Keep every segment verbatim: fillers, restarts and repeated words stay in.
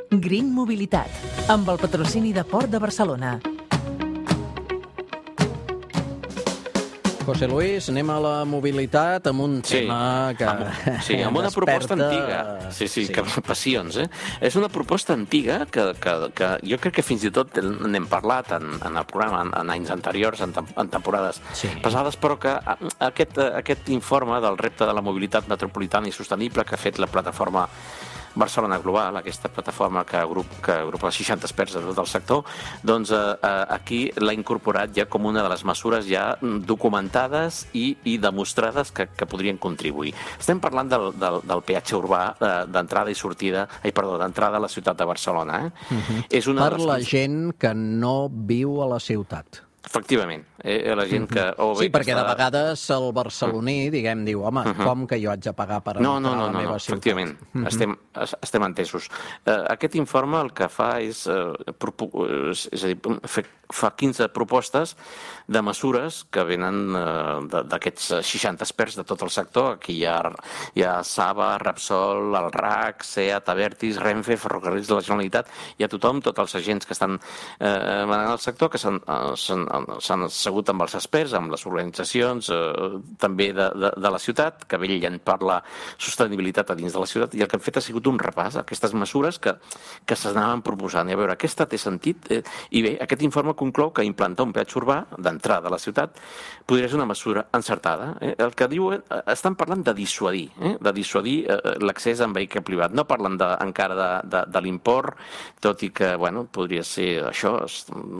Green Mobilitat, amb el patrocini de Port de Barcelona. José Luis, anem a la mobilitat amb un Sí, tema que amb, sí, amb una proposta desperta... antiga. Sí, sí, Sí. que passions, eh? És una proposta antiga que, que, que jo crec que fins i tot n'hem parlat en, en el programa en, en anys anteriors, en, tem- en temporades Sí. passades, però que a- aquest, aquest informe del repte de la mobilitat metropolitana i sostenible que ha fet la plataforma Barcelona Global, aquesta plataforma que, agrup, que agrupa seixanta experts de tot el sector, doncs eh, eh, aquí l'ha incorporat ja com una de les mesures ja documentades i, i demostrades que, que podrien contribuir. Estem parlant del, del, del peatge urbà eh, d'entrada i sortida, ai, perdó, d'entrada a la ciutat de Barcelona. Eh? Uh-huh. És una Per de les... la gent que no viu a la ciutat. Efectivament, eh, la gent que... O bé Sí, perquè que de està... vegades el barceloní, diguem, diu, home, Uh-huh. com que jo haig de pagar per No, entrar no, no, a la no, meva no, ciutat? efectivament, Mhm. estem, es- estem entesos. Eh, aquest informe el que fa és, eh, propo- és, és a dir, fer, fa quinze propostes de mesures que venen eh, de- d'aquests seixanta experts de tot el sector. Aquí hi ha, hi ha Saba, Repsol, el R A C, SEAT, Abertis, Renfe, Ferrocarrils de la Generalitat, hi ha tothom, tots els agents que estan eh, manant el sector, que s'han eh, s'han s'han assegut amb els experts, amb les organitzacions eh, també de, de, de la ciutat, que vetllen per la sostenibilitat a dins de la ciutat, i el que han fet ha sigut un repàs a aquestes mesures que, que s'anaven proposant. I a veure, aquesta té sentit? Eh, I bé, aquest informe conclou que implantar un peatge urbà d'entrada a la ciutat podria ser una mesura encertada. Eh? El que diuen, eh, estan parlant de dissuadir, eh? de dissuadir eh, l'accés en vehicle privat. No parlen de, encara de, de, de l'import, tot i que, bueno, podria ser això,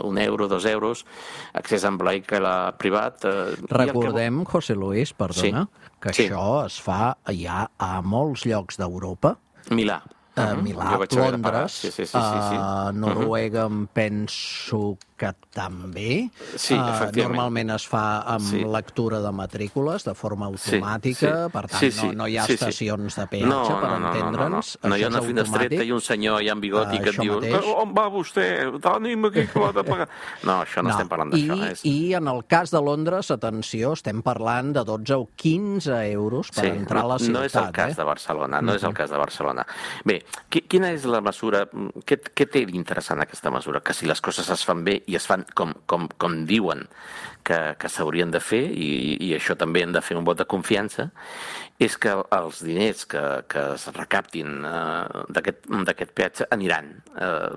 un euro, dos euros, accés en vehicle privat. Eh, i el que- Recordem, José Luis, perdona, Sí. que Sí. això es fa ja a molts llocs d'Europa, Milà. a Mhm. Milà, Jo vaig haver de pagar. Londres, Sí, sí, sí, sí, sí. a Noruega em penso que també. Sí, Eh, efectivament. Normalment es fa amb Sí. lectura de matrícules de forma automàtica, sí. per tant Sí, sí, no, no hi ha sí, sí. estacions de peatge, No, per no, no, entendre'ns. No, no, no. no hi ha Això una és finestreta automàtic. i un senyor allà amb bigoti Ah, que et això diu mateix. on va vostè? Tenim aquí que l'ha de pagar. No, això no, estem parlant d'això. I, És... I en el cas de Londres, atenció, estem parlant de dotze o quinze euros per entrar a la ciutat. no és el cas eh? de Barcelona, no és el cas de Barcelona. Bé, qui- quina és la mesura, què, què té d'interessant aquesta mesura? Que si les coses es fan bé i es fan com, com, com diuen que, que s'haurien de fer, i, i això també hem de fer un vot de confiança, és que els diners que, que es recaptin eh, d'aquest d'aquest peatge aniran eh,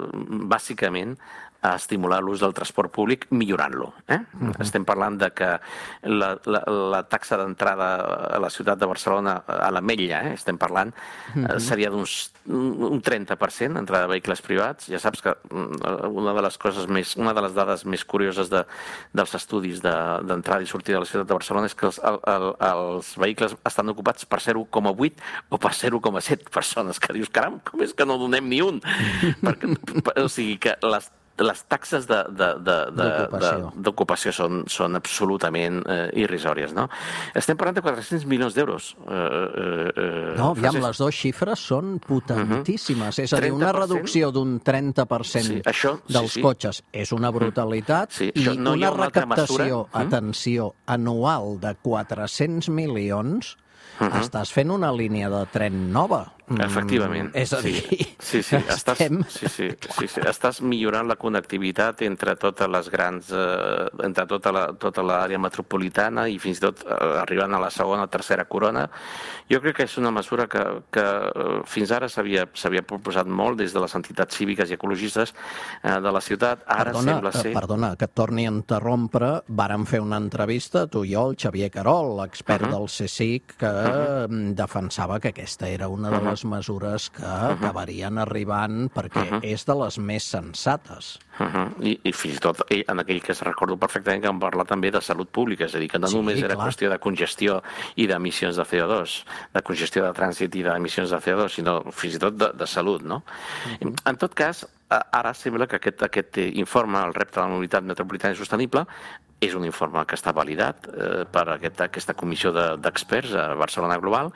bàsicament a estimular l'ús del transport públic millorant-lo. Eh? Uh-huh. Estem parlant de que la, la, la taxa d'entrada a la ciutat de Barcelona, a l'Ametlla, eh? estem parlant, uh-huh. eh, seria d'uns un trenta per cent entrada de vehicles privats. Ja saps que una de les coses més, una de les dades més curioses de, dels estudis d'entrada de, i sortida de la ciutat de Barcelona és que els, el, el, els vehicles estan ocupats per zero coma vuit o per zero coma set persones, que dius, caram, com és que no donem ni un? Perquè, o sigui que les les taxes d'ocupació són, són absolutament eh, irrisòries, no? Estem parlant de quatre-cents milions d'euros. Eh, eh, No, aviam, Francesc. les dues xifres són potentíssimes. Uh-huh. És a dir, una trenta per cent? reducció d'un trenta per cent Sí, això, sí, dels sí. cotxes és una brutalitat, Sí, i això no hi ha una una altra recaptació, mesura? atenció, anual de quatre-cents milions, Uh-huh. estàs fent una línia de tren nova. Efectivament. Mm, és a dir, sí, sí, estàs, estem... sí, sí, sí, sí, estàs millorant la connectivitat entre totes les grans, eh, entre tota la, tota l'àrea metropolitana i fins i tot eh, arribant a la segona o tercera corona. Jo crec que és una mesura que, que eh, fins ara s'havia s'havia proposat molt des de les entitats cíviques i ecologistes eh, de la ciutat. Ara Perdona, sembla ser... eh, perdona, que et torni a interrompre. Vàrem fer una entrevista, tu i jo, el Xavier Carol, l'expert Uh-huh. del C S I C, que uh-huh. defensava que aquesta era una de Uh-huh. les mesures que uh-huh. acabarien arribant perquè uh-huh. és de les més sensates. Uh-huh. I, I fins i tot i en aquell que es recordo perfectament que vam parlar també de salut pública, és a dir, que no Sí, només era clar. qüestió de congestió i d'emissions de C O dos, de congestió de trànsit i d'emissions de C O dos, sinó fins i tot de, de salut, no? Uh-huh. En tot cas, ara sembla que aquest, aquest informe, el repte de la mobilitat metropolitana i sostenible, és un informe que està validat eh, per aquest, aquesta comissió d'experts de, a Barcelona Global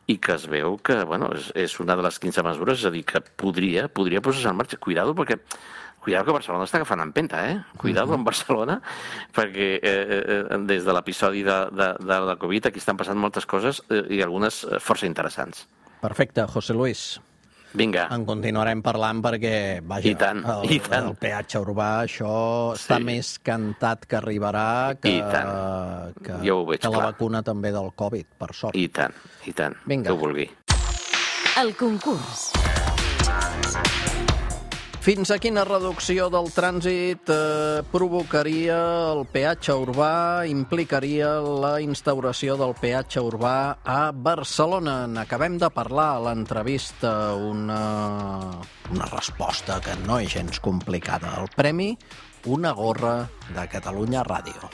i que es veu que bueno, és, és una de les quinze mesures, és a dir, que podria, podria posar-se en marxa. Cuidado, perquè Cuidado que Barcelona està agafant empenta, eh? Cuidado amb Barcelona, perquè eh, eh, des de l'episodi de, de, de la Covid aquí estan passant moltes coses eh, i algunes força interessants. Perfecte, José Luis. Vinga. En continuarem parlant perquè, vaja, I tant, el, i tant. el peatge urbà, això està Sí. més cantat que arribarà que, I tant. que, Jo ho veig que la clar. vacuna també del Covid, per sort. I tant, i tant, Vinga. que ho vulgui. El concurs. Fins a quina reducció del trànsit eh, provocaria el peatge urbà, implicaria la instauració del peatge urbà a Barcelona? N'acabem de parlar a l'entrevista, una, una resposta que no és gens complicada. El premi, una gorra de Catalunya Ràdio.